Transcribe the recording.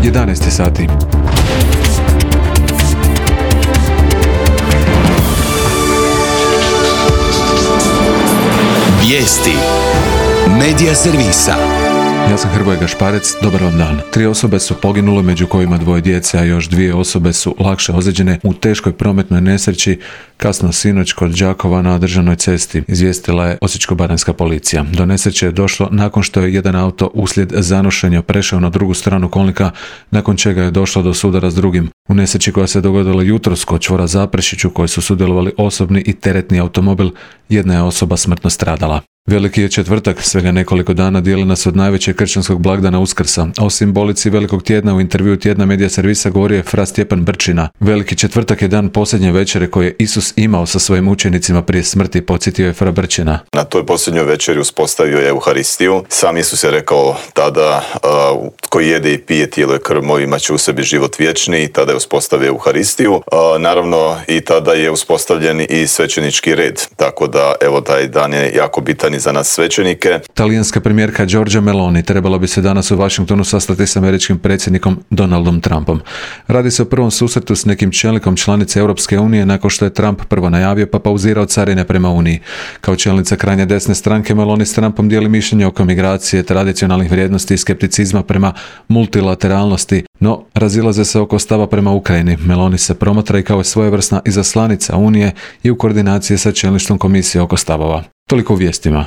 11 sati. Vijesti Medija servisa. Ja sam Hrvoje Gašparec, dobar vam dan. 3 osobe su poginule, među kojima 2 djece, a još 2 osobe su lakše ozlijeđene u teškoj prometnoj nesreći kasno sinoć kod Đakova na državnoj cesti, izvijestila je Osječko-baranjska policija. Do nesreće je došlo nakon što je jedan auto uslijed zanošenja prešao na drugu stranu kolnika, nakon čega je došlo do sudara s drugim. U nesreći koja se dogodila jutros kod čvora Zaprešić, u kojoj su sudjelovali osobni i teretni automobil, jedna je osoba smrtno stradala. Veliki je četvrtak, svega nekoliko dana dijeli nas od najvećeg kršćanskog blagdana Uskrsa. O simbolici velikog tjedna u intervjuu tjedna Medija servisa govorio je fra Stjepan Brčina. Veliki četvrtak je dan posljednje večere koje je Isus imao sa svojim učenicima prije smrti, podsjetio je fra Brčina. Na toj posljednjoj večeri uspostavio je Euharistiju. Sam Isus je rekao tada, tko jede i pije tijelo i krv moje imat će u sebi život vječni, i tada je uspostavio Euharistiju. Naravno i tada je uspostavljen i svećenički red, tako da evo taj dan je jako bitan za nas svećenike. Talijanska premijerka Giorgia Meloni trebala bi se danas u Washingtonu sastati s američkim predsjednikom Donaldom Trumpom. Radi se o prvom susretu s nekim čelnikom članice Europske unije nakon što je Trump prvo najavio pa pauzirao carine prema Uniji. Kao čelnica krajnje desne stranke, Meloni s Trumpom dijeli mišljenje oko migracije, tradicionalnih vrijednosti i skepticizma prema multilateralnosti, no razilaze se oko stava prema Ukrajini. Meloni se promatra i kao svojevrsna izaslanica Unije i u koordinaciji sa čelništvom komisije oko stavova. Toliko u vijestima.